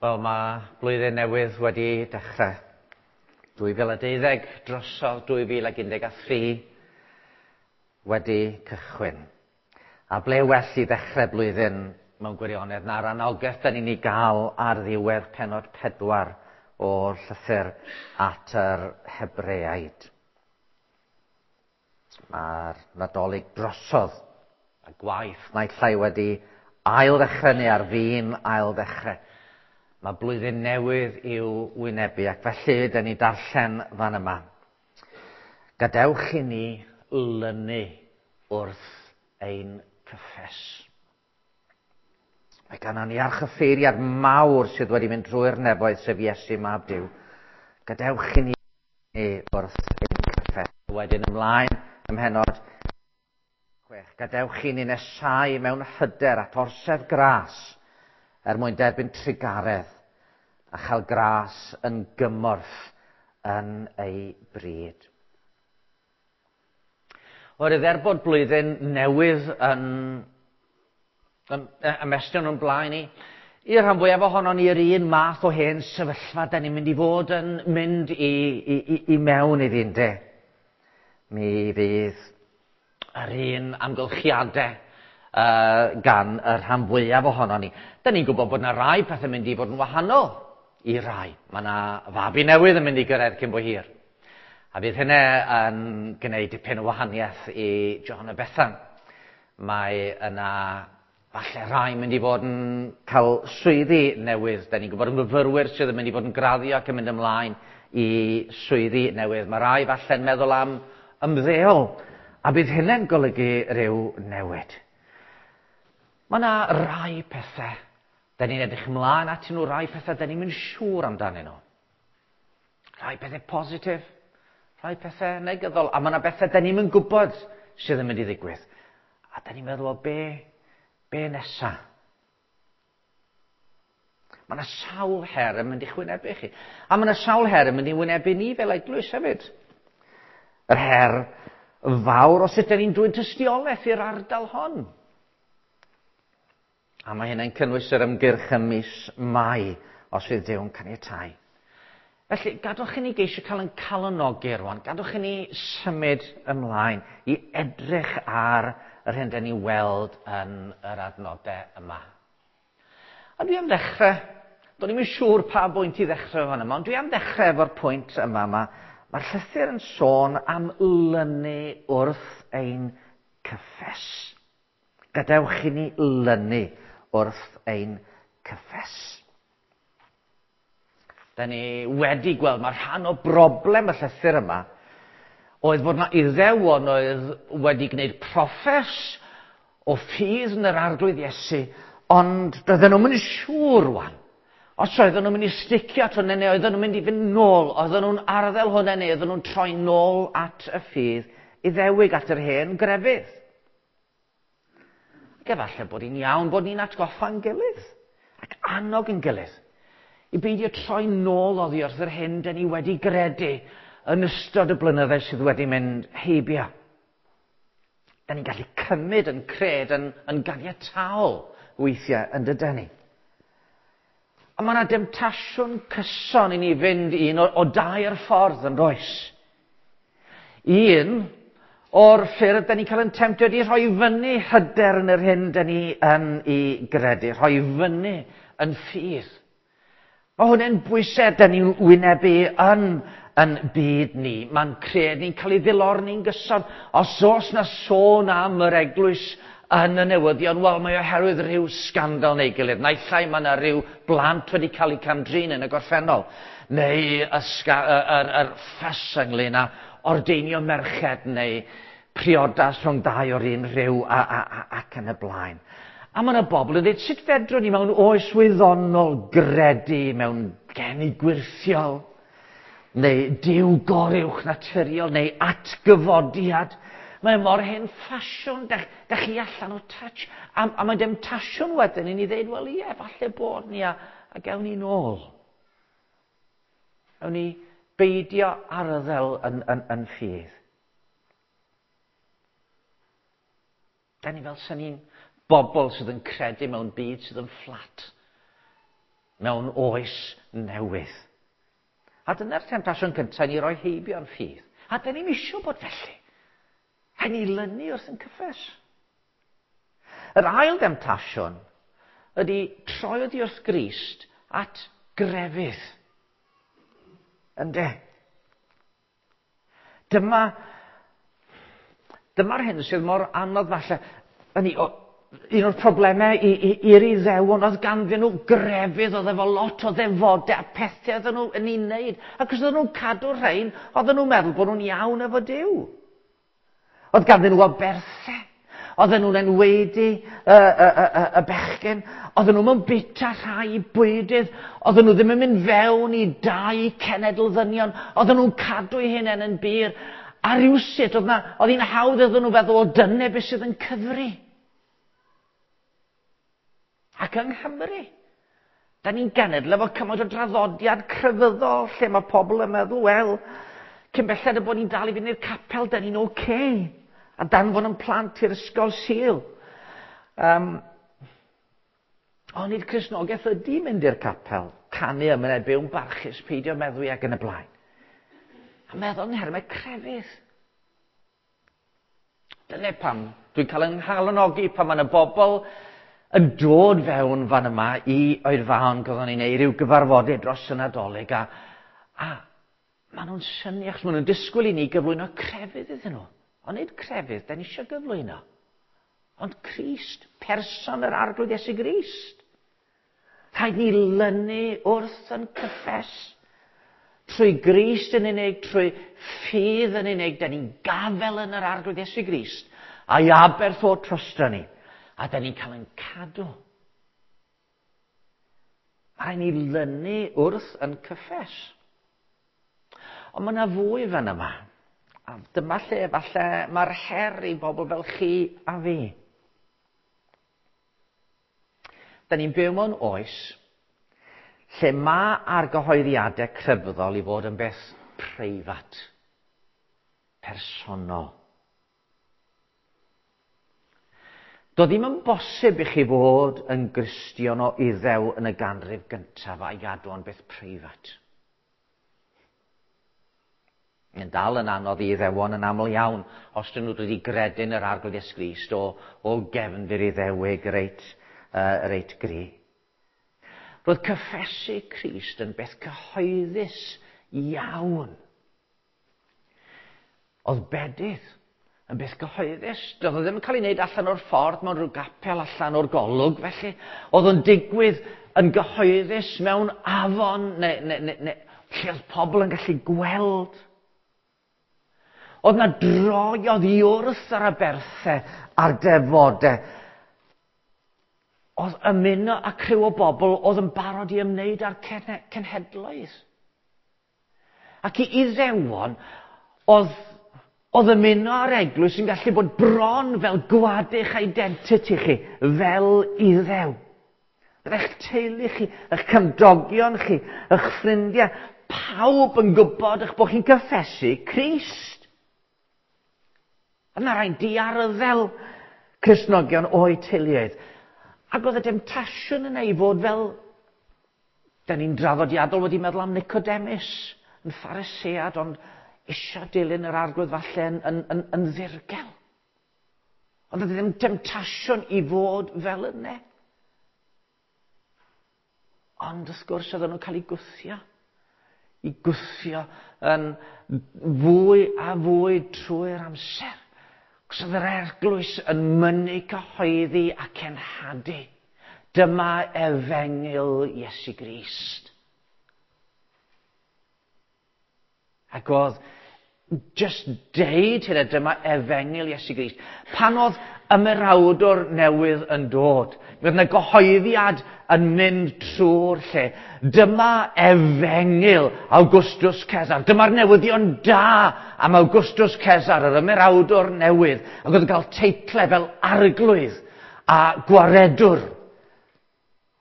Wel, mae blwyddyn newydd wedi dechrau. 2012 drosodd 2013 wedi cychwyn. A ble well i ddechrau blwyddyn mewn gwirionedd na'r anogaeth da ni'n ei gael ar ddiwedd pennod 4 o'r llythyr at yr Hebreaid. Mae'r Nadolig drosodd a gwaith naill ai wedi ail ddechrau neu ar fin ail ddechrau. Mae blwyddyn newydd i'w wynebu ac felly dyn ni darllen fan yma. Gadewch i ni lynu wrth ein cyffes. Mae gannon ni archyffeiriad mawr sydd wedi mynd drwy'r nefoedd, sef Iesu Mab Duw. Gadewch i ni wrth ein cyffes. Wedyn ymlaen ym mhennod 6. Gadewch i ni nesau mewn hyder at orsedd gras er mwyn derbyn trugaredd a chael gras yn gymorth yn ei bryd. Oherwydd er bod blwyddyn newydd yn, yn ymestyn o'n blaen ni, i'r rhan fwyaf ohonon ni yr un math o hen sefyllfa da ni'n mynd i fod yn mynd i, i, i, i mewn iddi, ynde. Mi fydd yr un amgylchiadau uh, gan y rhan fwyaf ohonon ni. Da ni'n gwybod bod yna rai pethau mynd i fod yn wahanol i rai. Mae yna fabi newydd yn mynd i gyrraedd cyn bo hir. A fydd hynny yn gwneud dipyn o wahaniaeth i John a Bethan. Mae yna falle rai mynd i fod yn cael swyddi newydd. Da ni'n gwybod yn myfyrwyr sydd yn mynd i fod yn graddio ac yn mynd ymlaen i swyddi newydd. Mae rai falle'n meddwl am ymddeol, a bydd hynny'n golygu rhyw newid. Mae yna rai pethau da ni'n edrych ymlaen atyn nhw, rai pethau da ni'n mynd siŵr amdanyn nhw. Rhai pethau positif, rhai pethau negyddol, a mae yna bethau da ni'm yn gwybod sydd yn mynd i ddigwydd. A da ni'n meddwl, o be, be nesa? Mae yna sawl her yn mynd i'ch wynebu chi. A mae yna sawl her yn mynd i wynebu ni fel eglwys hefyd. Yr her fawr o sut da ni'n dwyn tystiolaeth i'r ardal hon. A mae hynny'n cynnwys yr ymgyrch ym mis Mai, os fydd Duw'n caniatáu. Felly, gadwch i ni geisio cael yn calonogi rwan. Gadwch i ni symud ymlaen i edrych ar yr hyn dyn ni weld yn yr adnodau yma. A dwi am ddechrau, do'n i'm yn siŵr pa bwynt i ddechrau fan yma, ond dwi am ddechrau efo'r pwynt yma. Mae'r llythyr yn sôn am lynu wrth ein cyffes. Gadewch i ni lynu wrth ein cyffes. Da ni wedi gweld mae rhan o broblem y llythyr yma oedd fod yna Iddewon oedd wedi gwneud proffes o ffydd yn yr Arglwydd Iesu, ond doedden nhw'm yn siŵr rwan. Os oedden nhw'n mynd i sticio at hwnna neu oedden nhw'n mynd i fynd nôl, oedden nhw'n arddel hwnna neu oedden nhw'n troi nôl at y ffydd Iddewig, at yr hen grefydd. Ac efallai bod hi'n iawn bod ni'n atgoffa'n gilydd ac annog yn gilydd i beidio troi nôl oddi wrth yr hyn dyn ni wedi gredu yn ystod y blynyddoedd sydd wedi mynd heibio. Da ni'n gallu cymryd yn cred yn, yn ganiataol weithiau yn dydyn ni. A mae yna demtasiwn cyson i ni fynd un o, o dair ffordd yn does. Un o'r ffyrdd da ni'n cael yn temtio ydy rhoi fyny hyder yn yr hyn da ni yn ei gredu, rhoi fyny yn ffydd. Mae hwnna'n bwysau da ni'n wynebu yn yn byd ni. Mae'n cred ni'n cael ei ddilorni'n gyson. Os oes na sôn am yr eglwys yn y newyddion, wel, mae oherwydd rhyw sgandal neu gilydd. Naill ai mae yna rhyw blant wedi cael eu cam-drin yn y gorffennol, neu y, yr, yr ffys ynglyn â ordeinio merched neu priodas rhwng dau o'r un rhyw a, a, a, ac yn y blaen. A mae yna bobl yn dweud, sut fedrwn ni mewn oes wyddonol gredu mewn geni gwyrthiol, neu Duw goruwch naturiol, neu atgyfodiad. Mae mor hen ffasiwn, da, da chi allan o touch. A, a mae'n demtasiwn wedyn i ni ddeud, wel ie, falle bod ni a, a gewn ni nôl. Ewn ni beidio arddel yn, yn, yn ffydd. Da ni fel sy'n ni'n bobl sydd yn credu mewn byd sydd yn fflat. mewn oes newydd. A dyna'r temtasiwn cyntaf ni roi heibio'n ffydd. A dyn ni'n isio bod felly. Rhaid ni lynu wrth yn cyffes. Yr ail demtasiwn ydy troi oddi wrth Grist at grefydd. Ynde? Dyma, dyma'r hyn sydd mor anodd falle. Hynny, o, un o'r problemau i'r Iddewon oedd ganddyn nhw grefydd, oedd efo lot o ddefodau a pethau oedden nhw yn ei wneud. Ac os oedden nhw'n cadw'r rhain, oedden nhw'n meddwl bod nhw'n iawn efo Duw. Oedd ganddyn nhw aberthau. Oedden nhw'n enwedu y, y, y, y, y bechgyn. Oedden nhw'n mewn bita rhai bwydydd. Oedden nhw ddim yn mynd fewn i dai cenedl ddynion. Oedden nhw'n cadw eu hunain yn bur. A rhywsut, oedd, na, oedd hi'n hawdd iddyn nhw feddwl, o dyna beth sydd yn cyfri. Ac yng Nghymru, da ni'n genedl efo cymaint o draddodiad crefyddol lle mae pobl yn meddwl, wel, cyn belled y bod ni'n dal i fynd i'r capel, da ni'n oce. Okay. A danfon yn plant i'r ysgol Sul. Ond nid Cristnogaeth ydy mynd i'r capel, canu ymwneud byw'n barchus, peidio meddwi ac yn y blaen. A meddwl yn nhermau crefydd. Dyna pam dwi'n cael yng nghalonogi pan mae yna bobl yn dod fewn fan yma i oedfaon gyda ni'n neud rhyw gyfarfodydd dros y Nadolig a, a maen nhw'n synnu achos maen nhw'n disgwyl i ni gyflwyno crefydd iddyn nhw. Ond nid crefydd, da ni eisiau gyflwyno. Ond Crist, person yr Arglwydd Iesu Grist. Rhaid ni lynu wrth yn cyffes. Trwy Grist yn unig, trwy ffydd yn unig, da ni'n gafel yn yr Arglwydd Iesu Grist, a'i aberth o trosto ni, a da ni'n cael yn cadw. Mae rhaid ni lynu wrth yn cyffes. Ond mae yna fwy fan yma. A dyma lle falle mae'r her i bobl fel chi a fi. Da ni'n byw mewn oes lle mae argyhoeddiadau crefyddol i fod yn beth preifat, personol. Doedd ddim yn bosib i chi fod yn Gristion o Iddew yn y ganrif gyntaf a'i gadw o'n beth preifat. Yn dal yn anodd i Iddewon yn aml iawn os dyn nhw wedi gredu'n yr Arglwydd Iesu Grist o, o gefndir Iddewig reit, reit gry. Roedd cyffesu Crist yn beth cyhoeddus iawn. Oedd bedydd yn beth gyhoeddus. Doedd o ddim yn cael ei wneud allan o'r ffordd mewn rhyw gapel allan o'r golwg, felly. Oedd o'n digwydd yn gyhoeddus mewn afon neu, neu, neu, neu lle oedd pobl yn gallu gweld. Oedd na droi oddi wrth yr aberthau a'r defodau. Oedd ymuno â criw o bobl oedd yn barod i ymwneud â'r cenhedloedd. Ac i Iddewon, oedd, oedd ymuno â'r eglwys yn gallu bod bron fel gwadu'ch identity chi, fel Iddew. Byddai'ch teulu chi, eich cymdogion chi, eich ffrindiau, pawb yn gwybod eich bod chi'n cyffesu Crist. Yna rhaid diarddel Cristnogion o'u teuluoedd. Ac oedd y demtasiwn yna i fod fel, da ni'n draddodiadol wedi meddwl am Nicodemus, yn Pharisead, ond eisiau dilyn yr Arglwydd falle yn, yn, yn, yn ddirgel. Ond oedd ddim demtasiwn i fod fel yna. Ond wrth gwrs oedden nhw'n cael eu gwthio. I gwthio yn fwy a fwy trwy'r amser. Cos oedd yr eglwys yn mynnu cyhoeddi a cenhadu. Dyma efengyl Iesu Grist. Ac oedd just deud hynna, dyma efengyl Iesu Grist. Pan oedd ymerawdwr newydd yn dod, mi oedd yna gyhoeddiad yn mynd trwy'r lle. Dyma efengyl Augustus Caesar. Dyma'r newyddion da am Augustus Caesar, yr ymerawdwr newydd. Ac oedd yn cael teitle fel arglwydd a gwaredwr.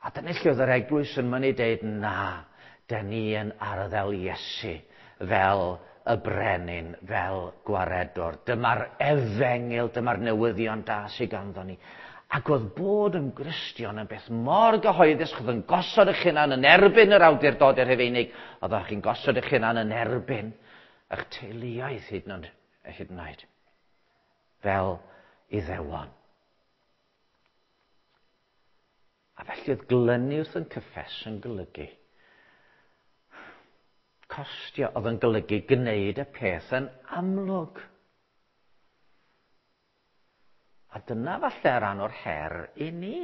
A dyna lle oedd yr eglwys yn mynnu deud, na, dyn ni yn arddel Iesu fel y brenin, fel gwaredwr. Dyma'r efengyl, dyma'r newyddion da sydd ganddo ni. Ac oedd bod yn Gristion yn beth mor gyhoeddus, oedd yn gosod eich hunan yn erbyn yr awdurdodau Rhufeinig, oedd chi'n gosod eich hunan yn erbyn eich teuluoedd hyd yn hyd yn oed, fel Iddewon. A felly oedd glynu wrth yn cyffes yn golygu costio, oedd yn golygu gwneud y peth yn amlwg. A dyna falle rhan o'r her i ni.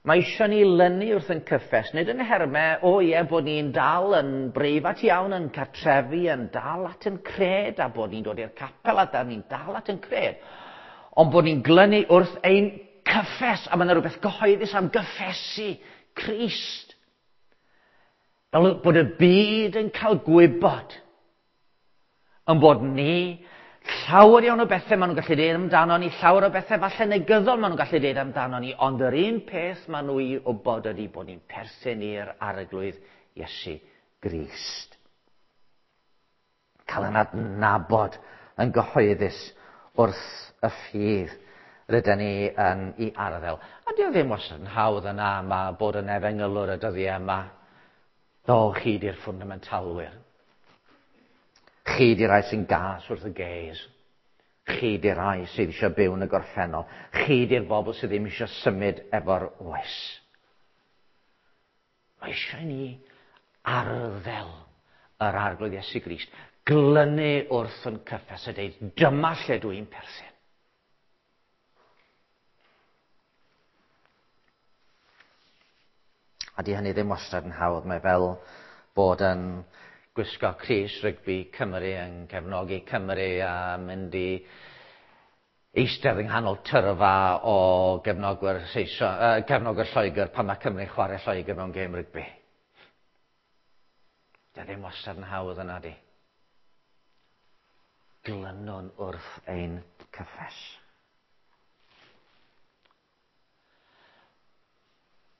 Mae eisiau ni lynu wrth yn cyffes, nid yn hermau, o ie, bod ni'n dal yn breifat iawn yn cartrefi, yn dal at yn cred, a bod ni'n dod i'r capel a da ni'n dal at yn cred. Ond bod ni'n glynu wrth ein cyffes, a mae yna rhywbeth gyhoeddus am gyffesu Crist. Fel bod y byd yn cael gwybod yn bod ni llawer iawn o bethau maen nhw'n gallu dweud amdano ni, llawer o bethau falle negyddol maen nhw'n gallu dweud amdano ni, ond yr un peth maen nhw i wybod ydy bod ni'n perthyn i'r Arglwydd Iesu Grist. Cael yn adnabod yn gyhoeddus wrth y ffydd rydyn ni yn ei arddel. A di o ddim wastad yn hawdd yna, mae bod yn efengylwr y dyddiau yma. Do, chi di'r ffwndamentalwyr. Chi di rai sy'n gas wrth y gays. Chi di rai sydd eisiau byw yn y gorffennol. Chi di'r bobl sydd ddim eisiau symud efo'r oes. Mae eisiau ni arddel yr Arglwydd Iesu Grist. Glynu wrth yn cyffes a deud, dyma lle dwi'n perthyn. A di hynny ddim wastad yn hawdd. Mae fel bod yn gwisgo crys rygbi Cymru yn cefnogi Cymru a mynd i eistedd yng nghanol tyrfa o gefnogwyr, Saeson, cefnogwyr Lloegr pan mae Cymru'n chwarae Lloegr mewn gêm rygbi. Di ddim wastad yn hawdd yna di. Glynwn wrth ein cyffes.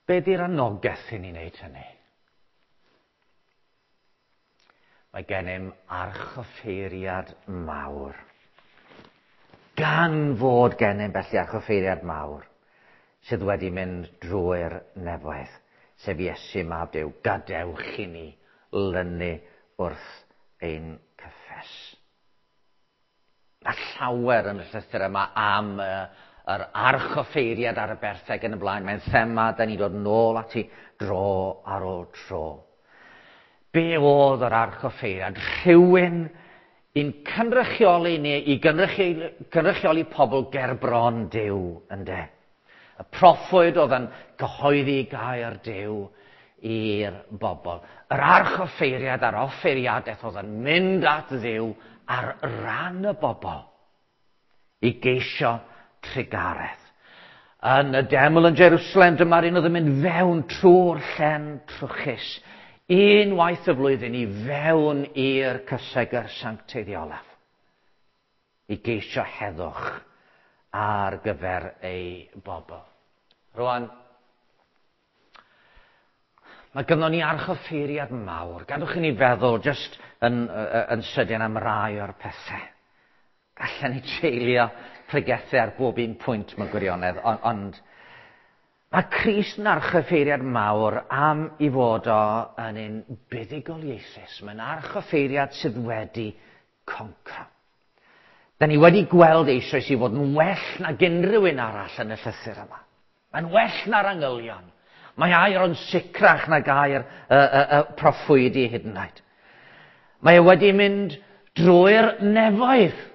Be di'r anogaeth i ni wneud hynny? Mae gennym archoffeiriad mawr. Gan fod gennym felly archoffeiriad mawr sydd wedi mynd drwy'r nefoedd, sef Iesu mab Duw, gadewch i ni lynu wrth ein cyffes. Mae llawer yn y llythyr yma am yr archoffeiriad ar y bertheg yn y blaen. Mae'n thema, da ni'n dod nôl ati dro ar ôl tro. Be oedd yr archoffeiriad? Rhywun i'n cynrychioli ni, i gynrychioli, gynrychioli pobl ger bron Duw, ynde. Y proffwyd oedd yn cyhoeddi gair Duw i'r bobl. Yr archoffeiriad a'r offeiriadaeth oedd yn mynd at Dduw ar ran y bobl i geisio trugaredd. Yn y deml yn Jerusalem, dyma'r un oedd yn mynd fewn trwy'r llen trwchus. Unwaith y flwyddyn i fewn i'r cysegr sancteiddiolaf. I geisio heddwch ar gyfer ei bobl. Rwan, mae gynnon ni archoffeiriad mawr. Gadwch i ni feddwl jyst yn, yn sydyn am rai o'r pethau. Gallen ni treulio pregethu ar bob un pwynt mewn gwirionedd, ond, ond mae Crist yn archoffeiriad mawr am i fod o yn un buddugoliaethus. Mae'n archoffeiriad sydd wedi concro. Da ni wedi gweld eisoes i fod yn well nag unrhyw un arall yn y llythyr yma. Mae'n well na'r angylion. Mae air o'n sicrach nag air y, y, y proffwydi hyd yn oed. Mae e wedi mynd drwy'r nefoedd.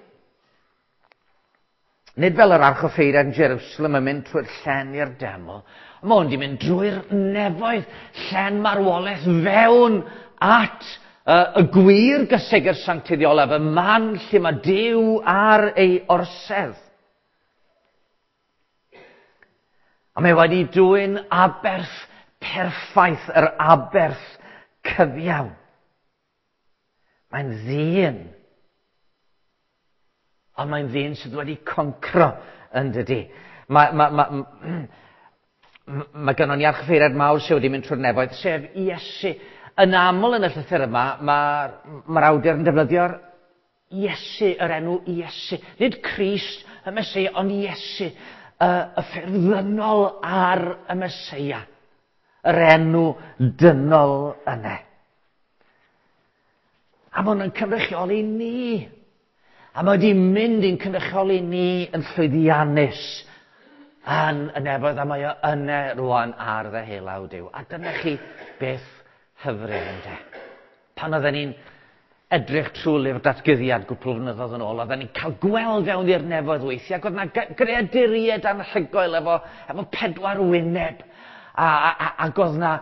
Nid fel yr archoffeiriad yn Jerusalem yn mynd trwy'r llen i'r deml. Mae o'n di mynd drwy'r nefoedd, llen marwolaeth fewn at y gwir gysegr sanctiddiolaf, y man lle mae Duw ar ei orsedd. A mae wedi dwyn aberth perffaith, yr aberth cyfiawn. Mae'n ddyn. Ond mae'n ddyn sydd wedi concro yn dydy. Mae, mae, mae, mae gynnon ni archoffeiriad mawr sydd wedi mynd trwy'r nefoedd, sef Iesu. Yn aml yn y llythyr yma, mae'r mae awdur yn defnyddio'r Iesu, yr enw Iesu. Nid Crist, y Meseia, ond Iesu. y ffurf ddynol ar y Meseia. Yr enw dynol yna. A mae hwn yn cynrychioli ni. A mae wedi mynd i'n cynrychioli ni yn llwyddiannus yn y nefoedd, a mae o yna rwan ar ddeheullaw Duw. A dyna chi beth hyfryd, ynde. Pan oedden ni'n edrych trwy lyfr datguddiad gwpl o flynyddoedd yn ôl, oedden ni'n cael gweld fewn i'r nefoedd weithiau, ac oedd yna greaduriaid anhygoel efo pedwar wyneb, ac oedd yna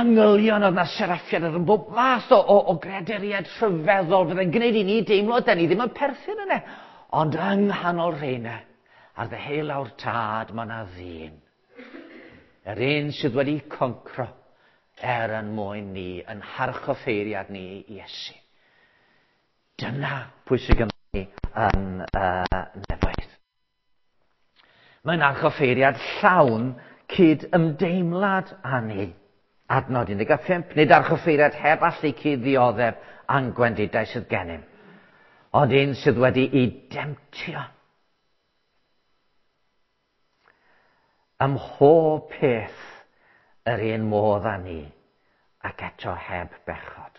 angylion, oedd yna seraffiad, oedd yn bob math o greaduriaid rhyfeddol, fydde'n gwneud i ni deimlo, da ni ddim yn perthyn yna. Ond yng nghanol rheina, ar ddeheulaw'r Tad, mae yna ddyn. Yr un sydd wedi concro er yn mwyn ni, yn harchoffeiriad ni, Iesu. Dyna pwy sydd gynnon ni yn nefoedd. Mae'n archoffeiriad llawn cyd ymdeimlad â ni. Adnod 15, nid archoffeiriad heb allu cyd ddioddef a'n gwendidau sydd gennym, ond un sydd wedi ei demtio. Ym mhob peth yr un modd â ni, ac eto heb bechod.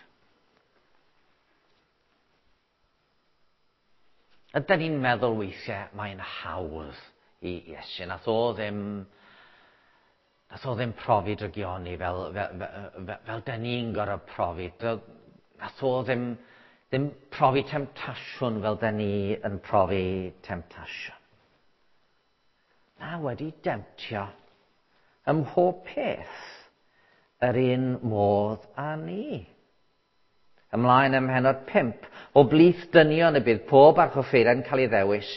Ydyn ni'n meddwl weithiau mae'n hawdd i Iesu. Nath o ddim profi drygioni fel dyn ni'n gorfod profi. Nath o ddim profi temtasiwn fel dyn ni yn profi temtasiwn. Na, wedi demtio ym mhob peth yr un modd â ni. Ymlaen ym mhennod 5, o blith dynion y bydd pob archoffeiriad yn cael ei ddewis,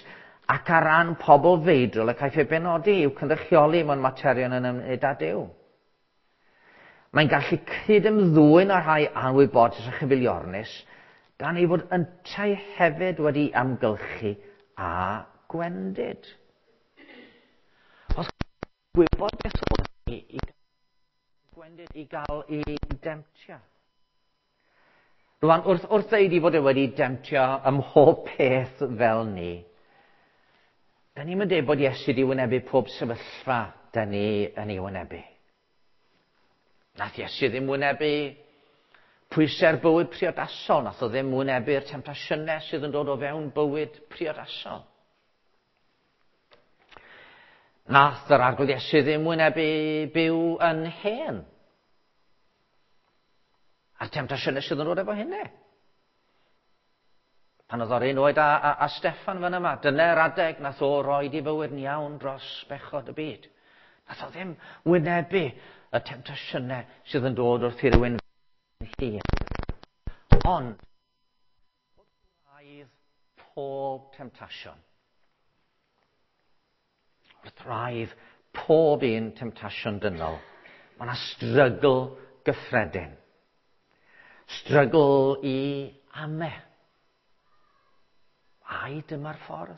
ac ar ran pobl feidrol y caiff ei benodi i'w cynrychioli mewn materion yn ymwneud â Duw. Mae'n gallu cyd-ymddwyn â rhai anwybodus a chyfeiliornus, gan ei fod yntau hefyd wedi amgylchu a gwendid. Os gwybod beth oedd i gwendid i gael ei demtio. Rwan, wrth ddeud i fod e wedi demtio ym mhob peth fel ni, da ni'n mynd dweud bod Iesu wedi wynebu pob sefyllfa da ni yn ei wynebu. Nath Iesu ddim wynebu pwysau'r bywyd priodasol, nath o ddim wynebu'r temtasiynau sydd yn dod o fewn bywyd priodasol. Nath yr Arglwydd Iesu ddim wynebu byw yn hen. A'r temtasiynau sydd yn dod efo hynny. Pan oedd o'r un oed a Steffan fan yma, dyna'r adeg nath o roed i fywyd yn iawn dros bechod y byd. Nath o ddim wynebu y temtasiynau sydd yn dod wrth i rywun hir. Ond, wrth wraidd pob temtasiwn, wrth wraidd pob un temtasiwn dynol, mae yna strygl gyffredin. Strygl i ame. Ai dyma'r ffordd?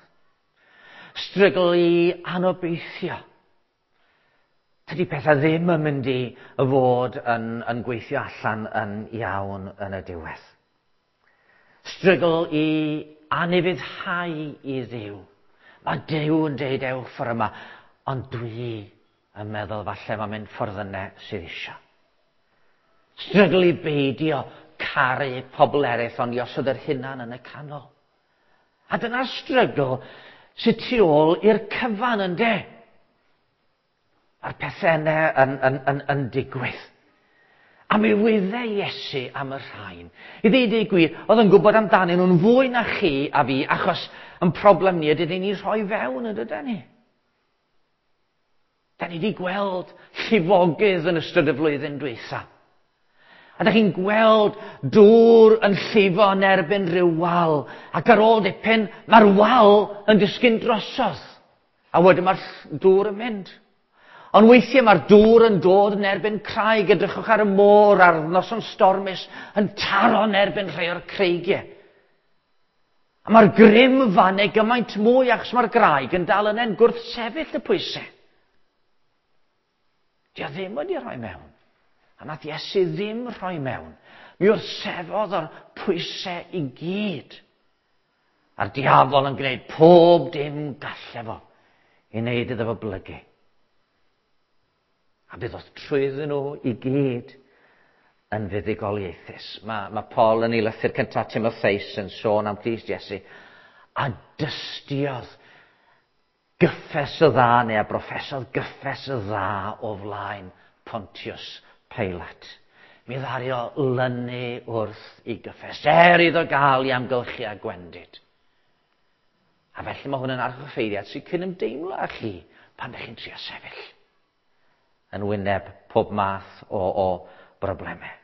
Strygl i anobeithio. Tydi pethau ddim yn mynd i fod yn gweithio allan yn iawn yn y diwedd. Strygl i anufuddhau i Dduw. Mae Duw yn deud ewch ffordd yma, ond dwi yn meddwl falle mae'n mynd ffordd yna sydd isio. Strygl i beidio caru pobl eraill, ond i osod yr hunan yn y canol. A dyna'r strygl sydd tu ôl i'r cyfan, ynde? A'r pethau yna yn digwydd. A mi wyddai Iesu am y rhain. I ddeud y gwir, oedd yn gwybod amdanyn nhw'n fwy na chi a fi, achos yn problem ni ydy ni rhoi fewn, yn dydyn ni? Da ni wedi gweld llifogydd yn ystod y flwyddyn dwytha. A da chi'n gweld dŵr yn llifo yn erbyn rhyw wal. Ac ar ôl dipyn, mae'r wal yn disgyn drosodd. A wedyn mae'r dŵr yn mynd. Ond weithiau mae'r dŵr yn dod yn erbyn craig. Edrychwch ar y môr ar noson stormus yn taro yn erbyn rhai o'r creigiau. A mae'r grym fan ei gymaint mwy achos mae'r graig yn dal yna'n gwrthsefyll y pwysau. Di o ddim wedi rhoi mewn. A nath Iesu ddim rhoi mewn. Mi wrthsefodd o'r pwysau i gyd. A'r diafol yn gwneud pob dim galle fo i wneud iddo fo blygu. A bydd oedd trwyddyn nhw i gyd yn fuddugoliaethus. Mae Paul yn ei lythyr cyntaf Timotheus yn sôn am Crist Iesu a dystiodd gyffes y dda neu a broffesodd gyffes y dda o flaen Pontius Pilate. Mi ddaru o lynu wrth i gyffes, er iddo gael i amgylchu a gwendid. A felly mae hwn yn archoffeiriad sy'n cyn ymdeimlo â chi pan ydych chi'n trio sefyll yn wyneb pob math o broblemau.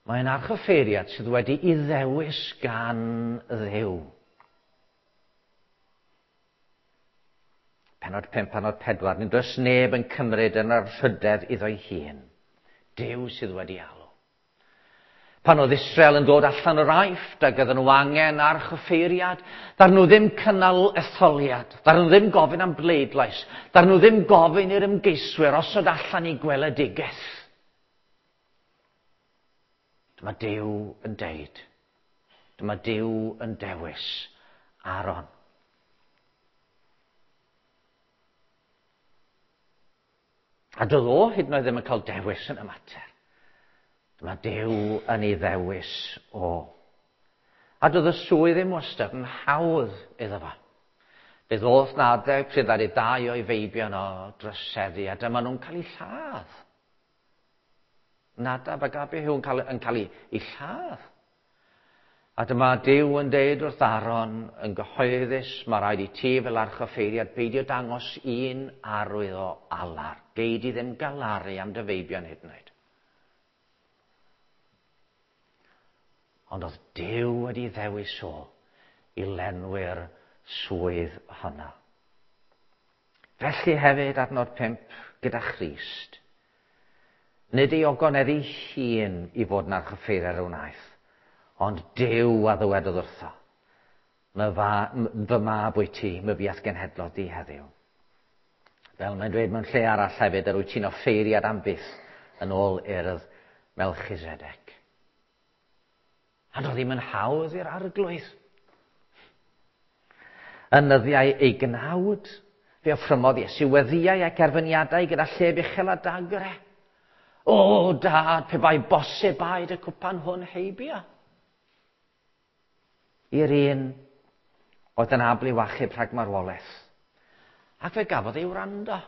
Mae'n archoffeiriad sydd wedi ei ddewis gan Dduw. Pennod 5, pennod 4, nid oes neb yn cymryd yn anrhydedd iddo'i hun. Duw sydd wedi alw. Pan oedd Israel yn dod allan o'r Aifft ac oedden nhw angen archoffeiriad, ddaru nhw ddim cynnal etholiad, ddaru nhw ddim gofyn am bleidlais, ddaru nhw ddim gofyn i'r ymgeiswyr osod allan i gweledigaeth. Dyma Duw yn deud. Dyma Duw yn dewis Aaron. A doedd o hyd yn oed ddim yn cael dewis yn y mater. Dyma Duw yn ei ddewis o. A doedd y swydd ddim wastad yn hawdd iddo fo. Fe ddoth 'na adeg pryd ddaru dau o'i feibion o droseddu a dyma nhw'n cael eu lladd. Nadab ac Abihu yn cael ei lladd. A dyma Duw yn deud wrth Aaron yn gyhoeddus, mae rhaid i ti fel archoffeiriad beidio dangos un arwydd o alar. Gei di ddim galaru am dy feibion hyd yn oed. Ond oedd Duw wedi ddewis o i lenwi'r swydd honno. Felly hefyd, adnod 5, gyda Christ. Nid ei ogonedd ei hun i fod yn archoffeiriad a wnaeth, ond Duw a ddywedodd wrtho, fy mab wyt ti, myfi a'th genhedlodd di heddiw. Fel mae'n dweud mewn lle arall hefyd, yr wyt ti'n offeiriad am byth yn ôl urdd Melchizedek. A doedd ddim yn hawdd i'r arglwydd. Yn nyddiau ei gnawd, fe offrymodd Iesu weddïau ac erfyniadau gyda llef uchel a dagre. O, dad, pe bai bosib aed y cwpan hwn heibio. I'r un oedd yn abl i'w achub rhag marwolaeth. Ac fe gafodd ei wrando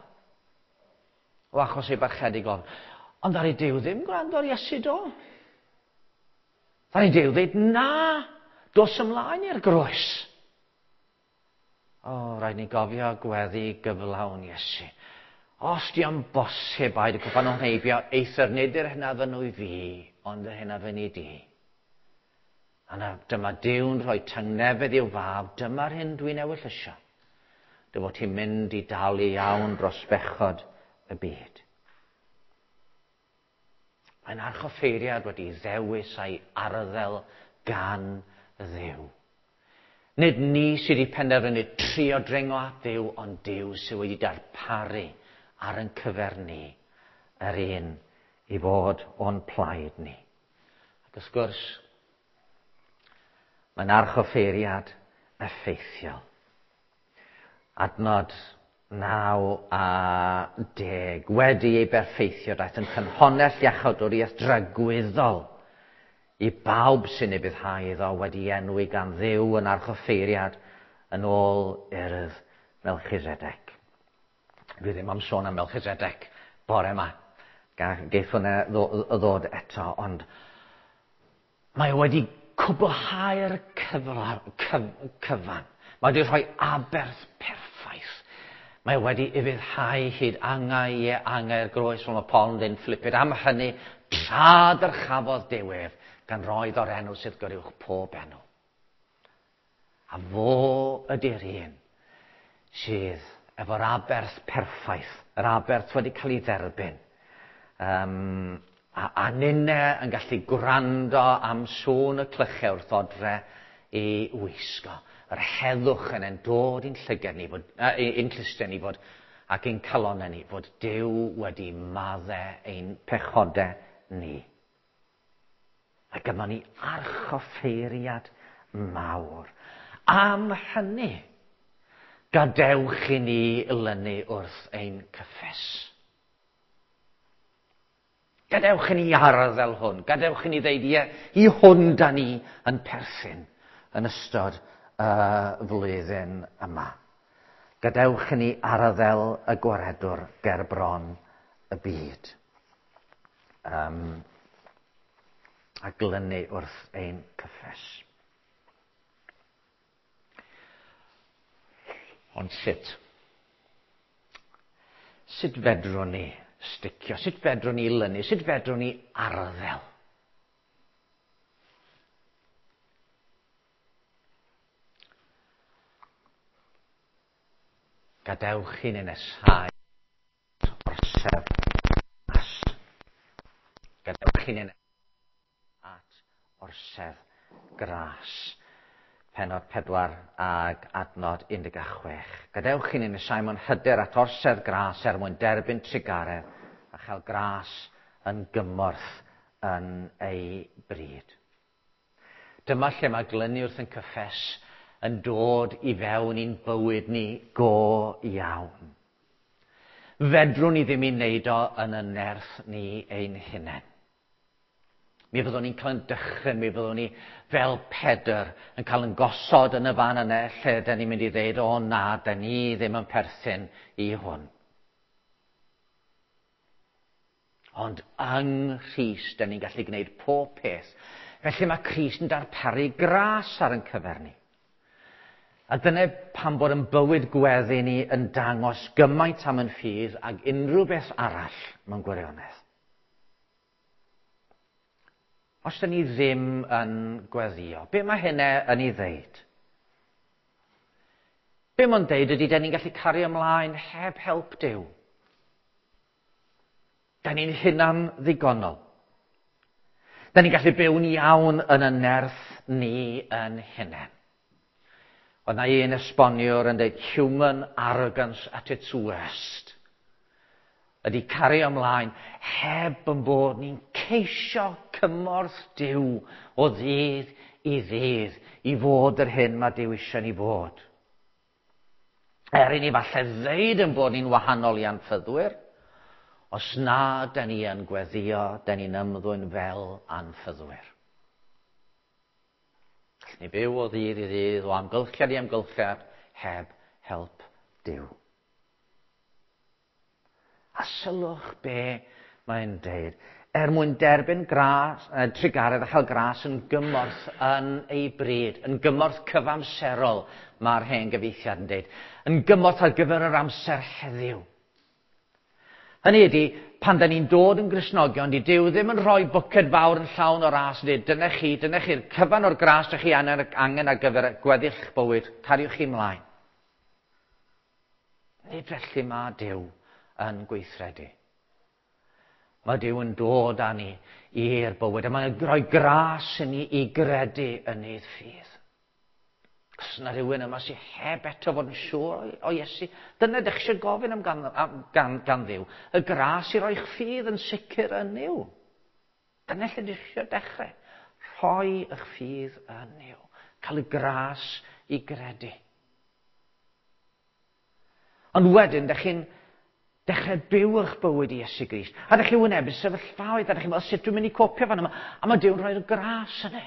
o achos ei barchedig ofn. Ond ddaru Duw ddim gwrando ar Iesu do. Ddaru Duw ddeud, na, dos ymlaen i'r groes. O, rhaid ni gofio gweddi gyflawn Iesu. Os di o'n bosib aed y cwpan o'n heibio, eithr nid yr hyn a fynwy fi, ond yr hyn a fyny di. A na, dyma Duw'n rhoi tangnefedd i'w fab, dyma'r hyn dwi'n ewyllysio. Dy fod ti'n mynd i dalu iawn dros bechod y byd. Mae'n archoffeiriad wedi ddewis a'i arddel gan Dduw. Nid ni sydd wedi penderfynu trio dringo at Dduw, ond Duw sydd wedi darparu ar ein cyfer ni yr un i fod o'n plaid ni. Ac wrth gwrs, mae'n archoffeiriad effeithiol. Adnod 9 a 10. Wedi ei berffeithio, daeth yn ffynhonnell iachawdwriaeth dragwyddol i bawb sy'n ufuddhau iddo wedi enwi gan Dduw yn archoffeiriad yn ôl urdd Melchizedek. Dwi ddim am sôn am Melchizedek bore yma. Geith hwnna ddod eto, ond mae wedi cwblhau'r cyfan. Mae wedi rhoi aberth perffaith. Mae wedi ufuddhau hyd angau i angau'r groes, fel mae Paul yn dweud yn Philippiaid. Am hynny, tra dyrchafodd Duw ef, gan roi o'r enw sydd goruwch pob enw. A fo ydy'r un sydd efo'r aberth perffaith, yr aberth wedi cael ei dderbyn. A ninne yn gallu gwrando am sŵn y clychau wrth odre i wisgo. Yr heddwch yn en dod i'n llygad ni, fod, i'n clustiau ni fod, ac i'n calonnau ni, fod Duw wedi maddau ein pechodau ni. Mae gynnon ni archoffeiriad mawr. Am hynny, gadewch i ni lynu wrth ein cyffes. Gadewch i ni arddel hwn. Gadewch i ni ddeud, ie, i hwn da ni yn perthyn yn ystod y flwyddyn yma. Gadewch i ni arddel y gwaredwr ger bron y byd. A glynu wrth ein cyffes. Ond sut? Sut fedrwn ni sticio? Sut fedrwn ni lynu? Sut fedrwn ni arddel? Gadewch i ni nesau orsedd gras. Gadewch i ni at orsedd gras. Pennod 4 ag adnod 16. Gadewch i ni nesau mewn hyder at orsedd gras er mwyn derbyn trugaredd a chael gras yn gymorth yn ei bryd. Dyma lle mae glynu wrth yn cyffes yn dod i fewn i'n bywyd ni go iawn. Fedrwn ni ddim i wneud o yn y nerth ni ein hunain. Mi fyddwn ni'n cael yn dychryn, mi fyddwn ni fel Pedr yn cael yn gosod yn y fan yna lle dyn ni'n mynd i ddeud, o na, dyn ni ddim yn perthyn i hwn. Ond yng Nghrist, dyn ni'n gallu gwneud pob peth. Felly mae Crist yn darparu gras ar ein cyfer ni. A dyna pam bod yn bywyd gweddi ni yn dangos gymaint am yn ffydd ag unrhyw beth arall mewn gwirionedd. Os dyn ni ddim yn gweddio, be mae hynna yn ei ddeud? Be mae'n deud ydy dyn ni'n gallu cario ymlaen heb help Duw. Dyn ni'n hunan ddigonol. Dyn ni'n gallu byw'n iawn yn y nerth ni yn hunain. Oedd na un esboniwr yn dweud human arrogance at its worst. Ydy cario ymlaen heb yn bod ni'n ceisio cymorth Duw o ddydd i ddydd i fod yr hyn mae Duw eisiau ni fod. Er i ni falle ddeud yn bod ni'n wahanol i anffyddwyr, os na da ni yn gweddio, da ni'n ymddwyn fel anffyddwyr. Gallwn ni byw o ddydd i ddydd, o amgylchiad i amgylchiad, heb help Duw. A sylwch be mae'n deud. Er mwyn derbyn gras, trugaredd a chael gras yn gymorth yn ei bryd, yn gymorth cyfamserol, mae'r hen gyfieithiad yn deud, yn gymorth ar gyfer yr amser heddiw. Hynny ydy, pan da ni'n dod yn Gristnogion, di Duw ddim yn rhoi bwced fawr yn llawn o ras yn dweud, dyna chi, dyna chi'r cyfan o'r gras dych chi angen ar gyfer gweddill bywyd, cariwch chi ymlaen. Nid felly mae Duw yn gweithredu. Mae Duw yn dod â ni i'r bywyd, a mae'n rhoi gras i ni i gredu yn ei ffydd. Os yna rhywun yma sydd heb eto fod yn siŵr o Iesu, dyna ydych eisiau gofyn am gan Dduw. Y gras i roi'ch ffydd yn sicr yn Nuw. Dyna lle ydych eisiau dechrau. Rhoi eich ffydd yn Nuw. Cael y gras i gredu. Ond wedyn, ydych chi'n dechrau byw eich bywyd i Iesu Grist. A ydych chi'n wynebu sefyllfaoedd, a ydych chi'n meddwl, sut dwi'n mynd i copio fan yma? A mae Duw'n rhoi'r gras yna.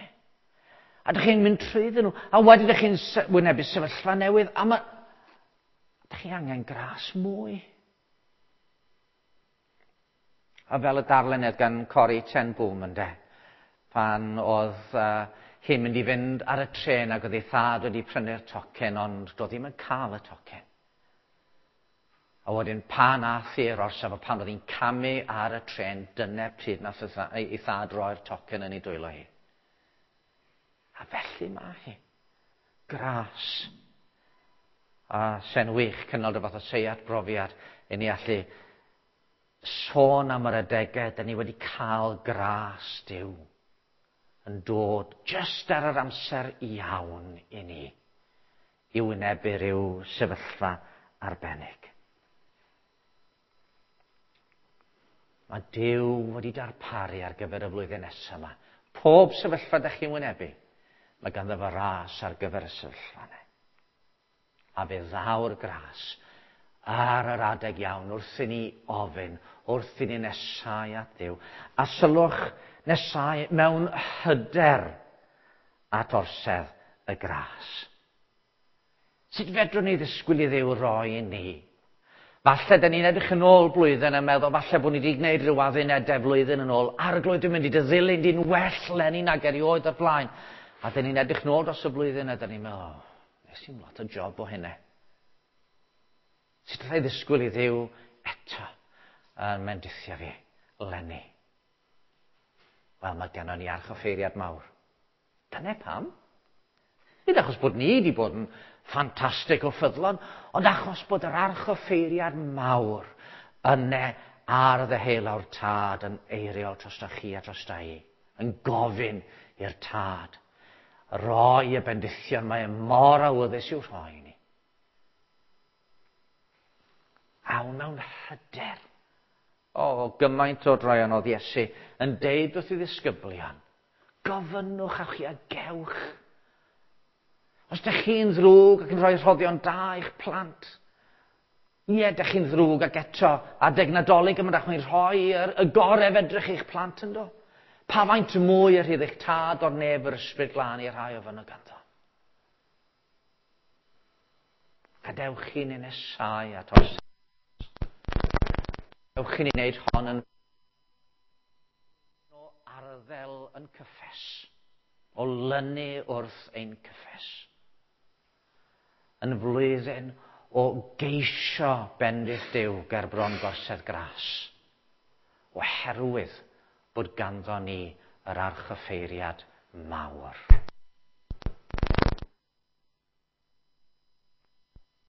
A ydych chi'n mynd trwyddyn nhw. A wedyn ydych chi'n wynebu sefyllfa newydd, a mae... Ydych chi angen gras mwy. A fel y darllened gan Corrie ten Boom ynde, pan oedd hi'n mynd i fynd ar y trên ac oedd ei thad wedi prynu'r tocyn, ond doedd ddim yn cael y tocyn. A wedyn pan ath i'r orsaf a pan oedd hi'n camu ar y trên, dyna pryd nath ei thad roi'r tocyn yn ei dwylo hi. A felly mae hi. Gras. A se'n wych cynnal rhyw fath o seiat brofiad i ni allu sôn am yr adegau da ni wedi cael gras Duw yn dod jyst ar yr amser iawn i ni i wynebu rhyw sefyllfa arbennig. Mae Duw wedi darparu ar gyfer y flwyddyn nesaf yma. Pob sefyllfa da chi'n wynebu, Mae ganddo fo ras ar gyfer y sefyllfa yna. A fe ddaw'r gras ar yr adeg iawn wrth i ni ofyn, wrth i ni nesau at Dduw. A sylwch nesau mewn hyder at orsedd y gras. Sut fedrwn ni ddisgwyl i Dduw roi i ni? Falle da ni'n edrych yn ôl blwyddyn a meddwl falle bod ni wedi gwneud rhyw addunedau flwyddyn yn ôl. Arglwydd, dwi'n mynd i dy ddilyn di'n well leni nag erioed o'r blaen. A da ni'n edrych nôl dros y blwyddyn a da ni'n meddwl, oh, nes i'n lot o job o hynny. Sut allai ddisgwyl i Dduw eto yn mendithio fi leni? Wel, mae gennon ni archoffeiriad mawr. Dyna pam. Nid achos bod ni wedi bod yn ffantastig o ffyddlon, ond achos bod yr archoffeiriad mawr yne ar ddeheulaw'r tad yn eiriol drosta chi a drosta i, yn gofyn i'r tad roi y bendithion mae e mor awyddus i'w rhoi i ni. Awn mewn hyder. O, gymaint o droeon oedd Iesu yn deud wrth i ddisgyblion, gofynnwch a chi a gewch. Os ydych chi'n ddrwg ac yn rhoi rhoddion da i'ch plant, ie, ydych chi'n ddrwg ac eto, adeg Nadolig yma, ydych chi'n rhoi yr, y gorau fedrwch chi'ch plant yn do. Pa faint mwy yr rhydd eich tad o'r nef yr ysbryd glân i'r rhai o fyny ganddo. Gadewch i ni nesau at os. Gadewch i ni wneud hon yn o arddel yn cyffes, o lynu wrth ein cyffes. Yn flwyddyn o geisio bendith Duw ger bron gorsedd gras, oherwydd bod ganddo ni yr archoffeiriad mawr.